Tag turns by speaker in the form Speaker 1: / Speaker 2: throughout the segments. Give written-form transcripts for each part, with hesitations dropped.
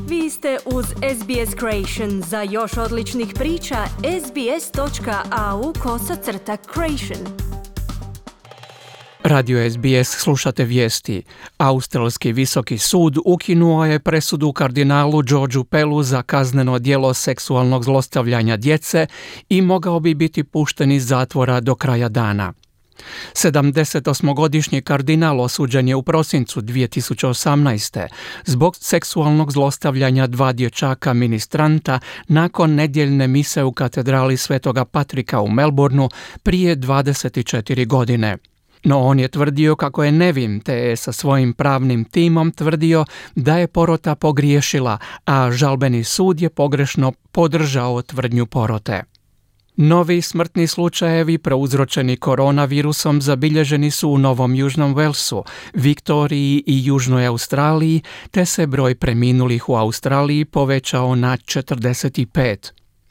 Speaker 1: Vi ste uz SBS Creation. Za još odličnih priča, sbs.au/creation.
Speaker 2: Radio SBS slušate vijesti. Australski visoki sud ukinuo je presudu kardinalu Georgeu Pellu za kazneno djelo seksualnog zlostavljanja djece i mogao bi biti pušten iz zatvora do kraja dana. 78-godišnji kardinal osuđen je u prosincu 2018. zbog seksualnog zlostavljanja dva dječaka ministranta nakon nedjeljne mise u katedrali Svetoga Patrika u Melbourneu prije 24 godine. No on je tvrdio kako je nevin, te je sa svojim pravnim timom tvrdio da je porota pogriješila, a žalbeni sud je pogrešno podržao tvrdnju porote. Novi smrtni slučajevi prouzročeni koronavirusom zabilježeni su u Novom Južnom Walesu, Viktoriji i Južnoj Australiji, te se broj preminulih u Australiji povećao na 45.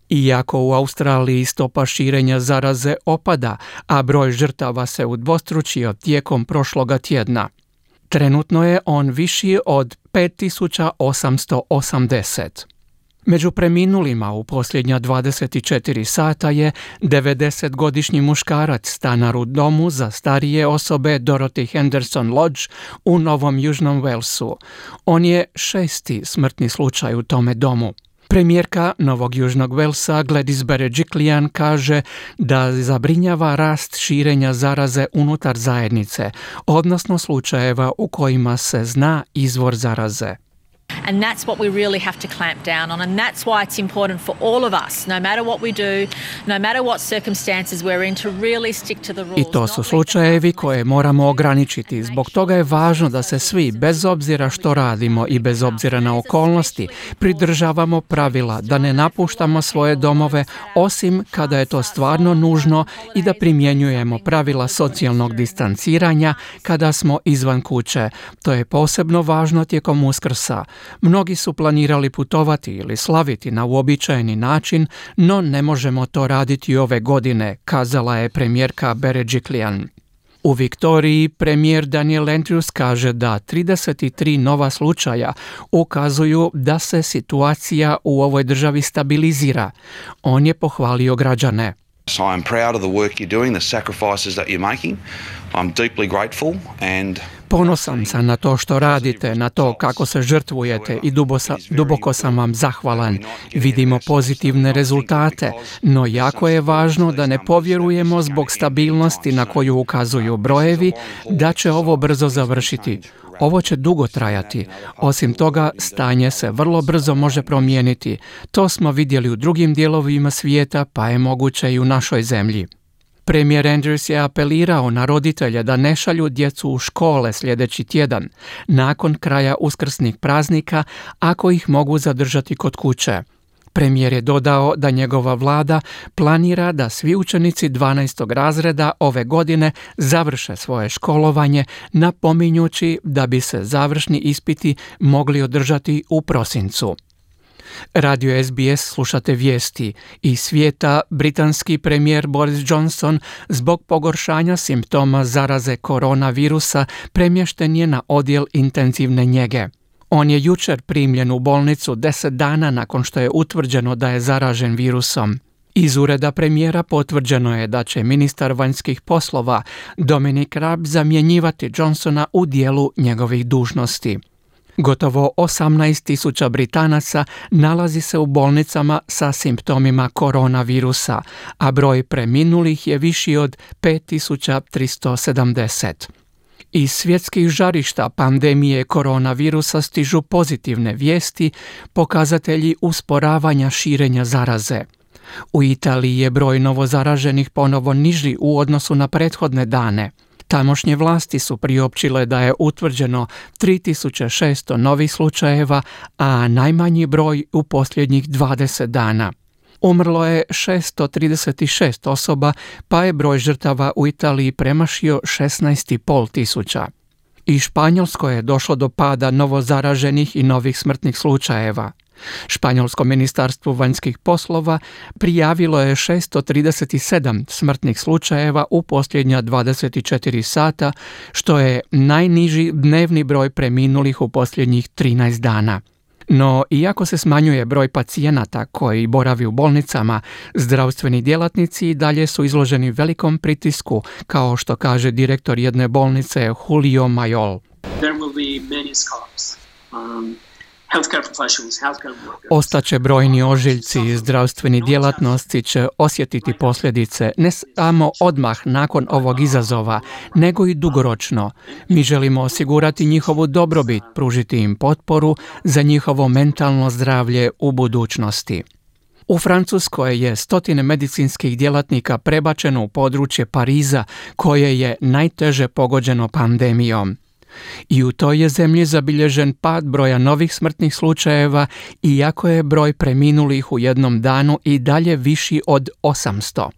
Speaker 2: Iako u Australiji stopa širenja zaraze opada, a broj žrtava se udvostručio tijekom prošloga tjedna. Trenutno je on viši od 5880. Među preminulima u posljednja 24 sata je 90-godišnji muškarac stanar u domu za starije osobe Dorothy Henderson Lodge u Novom Južnom Walesu. On je 6. smrtni slučaj u tome domu. Premijerka Novog Južnog Walesa Gladys Berejiklian kaže da zabrinjava rast širenja zaraze unutar zajednice, odnosno slučajeva u kojima se zna izvor zaraze.
Speaker 3: And that's what we really have to clamp down on, and that's why it's important for all of us, no matter what we do, no matter what circumstances we're in, to really stick to the rules.
Speaker 2: I to su slučajevi koje moramo ograničiti. Zbog toga je važno da se svi, bez obzira što radimo i bez obzira na okolnosti, pridržavamo pravila, da ne napuštamo svoje domove, osim kada je to stvarno nužno, i da primjenjujemo pravila socijalnog distanciranja kada smo izvan kuće. To je posebno važno tijekom Uskrsa. Mnogi su planirali putovati ili slaviti na uobičajeni način, no ne možemo to raditi ove godine, kazala je premijerka Berejiklian. U Viktoriji premijer Daniel Andrews kaže da 33 nova slučaja ukazuju da se situacija u ovoj državi stabilizira. On je pohvalio građane.
Speaker 4: So I'm proud of the work you're doing, the sacrifices that you're making. I'm deeply grateful and
Speaker 2: Ponosan sam na to što radite, na to kako se žrtvujete i duboko sam vam zahvalan. Vidimo pozitivne rezultate, no jako je važno da ne povjerujemo zbog stabilnosti na koju ukazuju brojevi da će ovo brzo završiti. Ovo će dugo trajati. Osim toga, stanje se vrlo brzo može promijeniti. To smo vidjeli u drugim dijelovima svijeta, pa je moguće i u našoj zemlji. Premijer Andrews je apelirao na roditelje da ne šalju djecu u škole sljedeći tjedan, nakon kraja uskrsnih praznika, ako ih mogu zadržati kod kuće. Premijer je dodao da njegova vlada planira da svi učenici 12. razreda ove godine završe svoje školovanje, napominjući da bi se završni ispiti mogli održati u prosincu. Radio SBS slušate vijesti. Iz svijeta britanski premijer Boris Johnson zbog pogoršanja simptoma zaraze koronavirusa premješten je na odjel intenzivne njege. On je jučer primljen u bolnicu 10 dana nakon što je utvrđeno da je zaražen virusom. Iz ureda premijera potvrđeno je da će ministar vanjskih poslova Dominic Raab zamjenjivati Johnsona u dijelu njegovih dužnosti. Gotovo 18.000 Britanaca nalazi se u bolnicama sa simptomima koronavirusa, a broj preminulih je viši od 5.370. Iz svjetskih žarišta pandemije koronavirusa stižu pozitivne vijesti, pokazatelji usporavanja širenja zaraze. U Italiji je broj novozaraženih ponovo niži u odnosu na prethodne dane. Tamošnje vlasti su priopćile da je utvrđeno 3600 novih slučajeva, a najmanji broj u posljednjih 20 dana. Umrlo je 636 osoba, pa je broj žrtava u Italiji premašio 16,5 tisuća. I Španjolskoj je došlo do pada novozaraženih i novih smrtnih slučajeva. Španjolsko ministarstvo vanjskih poslova prijavilo je 637 smrtnih slučajeva u posljednja 24 sata, što je najniži dnevni broj preminulih u posljednjih 13 dana. No, iako se smanjuje broj pacijenata koji boravi u bolnicama, zdravstveni djelatnici i dalje su izloženi velikom pritisku, kao što kaže direktor jedne bolnice Julio Mayol.
Speaker 5: There will be many scars. Healthcare professionals, healthcare workers.
Speaker 2: Ostaće brojni ožiljci i zdravstveni djelatnosti će osjetiti posljedice ne samo odmah nakon ovog izazova, nego i dugoročno. Mi želimo osigurati njihovu dobrobit, pružiti im potporu za njihovo mentalno zdravlje u budućnosti. U Francuskoj je stotine medicinskih djelatnika prebačeno u područje Pariza, koje je najteže pogođeno pandemijom. I u toj je zemlji zabilježen pad broja novih smrtnih slučajeva, iako je broj preminulih u jednom danu i dalje viši od 800.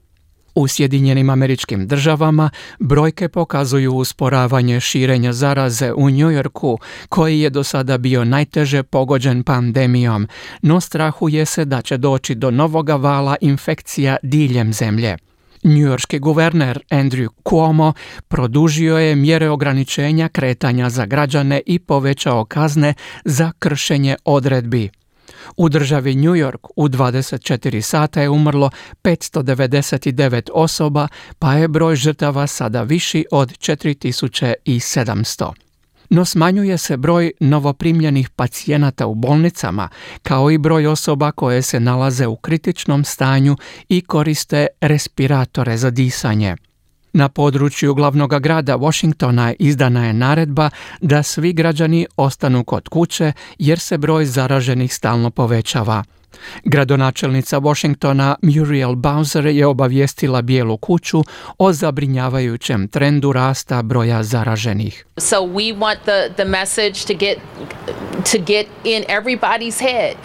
Speaker 2: U Sjedinjenim Američkim Državama brojke pokazuju usporavanje širenja zaraze u New Yorku, koji je do sada bio najteže pogođen pandemijom, no strahuje se da će doći do novoga vala infekcija diljem zemlje. Njujorški guverner Andrew Cuomo produžio je mjere ograničenja kretanja za građane i povećao kazne za kršenje odredbi. U državi New York u 24 sata je umrlo 599 osoba, pa je broj žrtava sada viši od 4700. No smanjuje se broj novoprimljenih pacijenata u bolnicama, kao i broj osoba koje se nalaze u kritičnom stanju i koriste respiratore za disanje. Na području glavnog grada Washingtona izdana je naredba da svi građani ostanu kod kuće jer se broj zaraženih stalno povećava. Gradonačelnica Washingtona Muriel Bowser je obavijestila Bijelu kuću o zabrinjavajućem trendu rasta broja zaraženih.
Speaker 6: So we want the message to get in everybody's head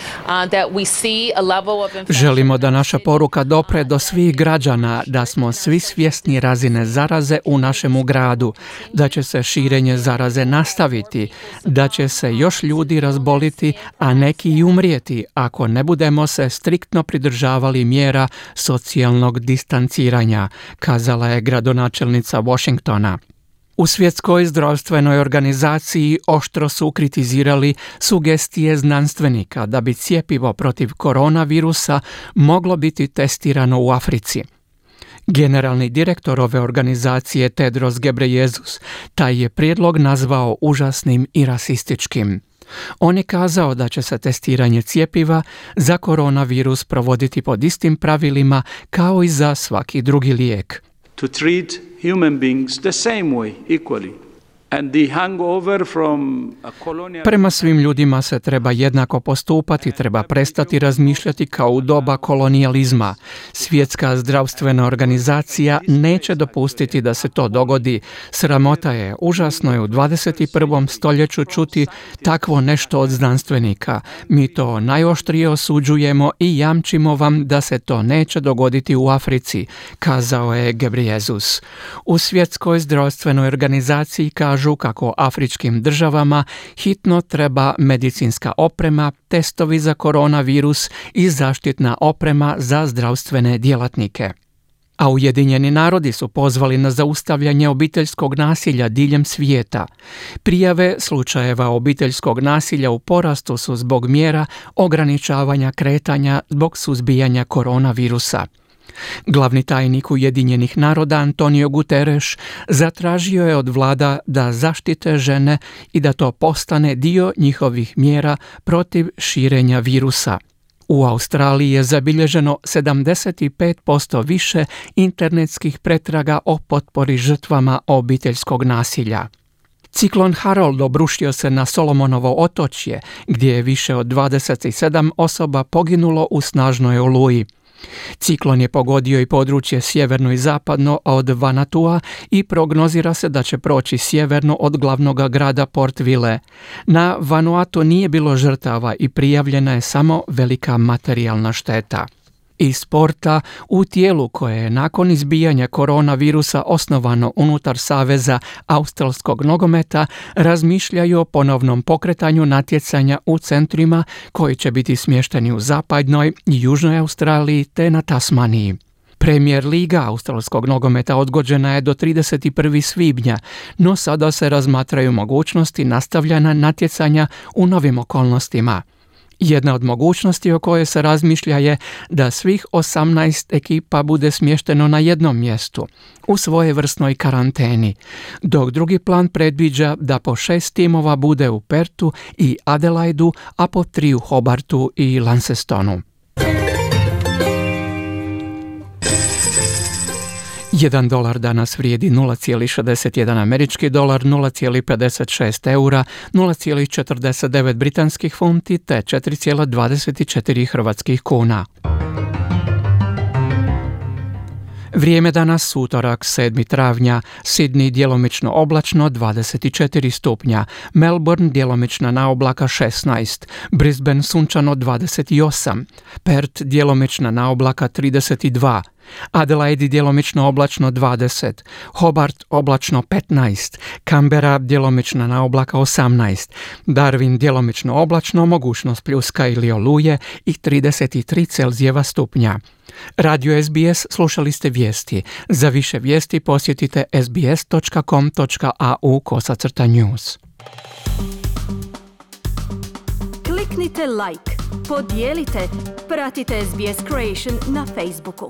Speaker 6: that we see a level of infection.
Speaker 2: Želimo da naša poruka dopre do svih građana, da smo svi svjesni razine zaraze u našemu gradu, da će se širenje zaraze nastaviti, da će se još ljudi razboliti, a neki i umrijeti ako ne budemo se striktno pridržavali mjera socijalnog distanciranja, kazala je gradonačelnica Washingtona. U Svjetskoj zdravstvenoj organizaciji oštro su kritizirali sugestije znanstvenika da bi cjepivo protiv koronavirusa moglo biti testirano u Africi. Generalni direktor ove organizacije Tedros Ghebreyesus taj je prijedlog nazvao užasnim i rasističkim. On je kazao da će se testiranje cjepiva za koronavirus provoditi pod istim pravilima kao i za svaki drugi lijek.
Speaker 7: To treat human beings the same way, equally. And the hangover from a colonial...
Speaker 2: Prema svim ljudima se treba jednako postupati, treba prestati razmišljati kao u doba kolonijalizma. Svjetska zdravstvena organizacija neće dopustiti da se to dogodi. Sramota je, užasno je u 21. stoljeću čuti takvo nešto od znanstvenika. Mi to najoštrije osuđujemo i jamčimo vam da se to neće dogoditi u Africi, kazao je Ghebreyesus. U Svjetskoj zdravstvenoj organizaciji kažu kako afričkim državama hitno treba medicinska oprema, testovi za koronavirus i zaštitna oprema za zdravstvene djelatnike. A Ujedinjeni narodi su pozvali na zaustavljanje obiteljskog nasilja diljem svijeta. Prijave slučajeva obiteljskog nasilja u porastu su zbog mjera ograničavanja kretanja zbog suzbijanja koronavirusa. Glavni tajnik Ujedinjenih naroda Antonio Guterres zatražio je od vlada da zaštite žene i da to postane dio njihovih mjera protiv širenja virusa. U Australiji je zabilježeno 75% više internetskih pretraga o potpori žrtvama obiteljskog nasilja. Ciklon Harold obrušio se na Solomonovo otočje, gdje je više od 27 osoba poginulo u snažnoj oluji. Ciklon je pogodio i područje sjeverno i zapadno od Vanuatua i prognozira se da će proći sjeverno od glavnog grada Port Vile. Na Vanuatu nije bilo žrtava i prijavljena je samo velika materijalna šteta. Iz sporta, u tijelu koje je nakon izbijanja koronavirusa osnovano unutar Saveza australskog nogometa, razmišljaju o ponovnom pokretanju natjecanja u centrima koji će biti smješteni u zapadnoj i južnoj Australiji te na Tasmaniji. Premier liga australskog nogometa odgođena je do 31. svibnja, no sada se razmatraju mogućnosti nastavljanja natjecanja u novim okolnostima. Jedna od mogućnosti o kojoj se razmišlja je da svih 18 ekipa bude smješteno na jednom mjestu, u svojevrsnoj karanteni, dok drugi plan predviđa da po 6 timova bude u Pertu i Adelaidu, a po 3 u Hobartu i Launcestonu. $1 danas vrijedi 0,61 američki dolar, 0,56 eura, 0,49 britanskih funti te 4,24 hrvatskih kuna. Vrijeme danas utorak 7. travnja, Sydney djelomično oblačno 24 stupnja, Melbourne djelomična naoblaka 16, Brisbane sunčano 28, Perth djelomična naoblaka 32, Adelaide djelomično oblačno 20, Hobart oblačno 15, Canberra djelomična naoblaka 18, Darwin djelomično oblačno, mogućnost pljuska ili oluje i 33 Celzijeva stupnja. Radio SBS, slušali ste vijesti. Za više vijesti posjetite sbs.com.au/news.
Speaker 1: Kliknite like, podijelite, pratite SBS Creation na Facebooku.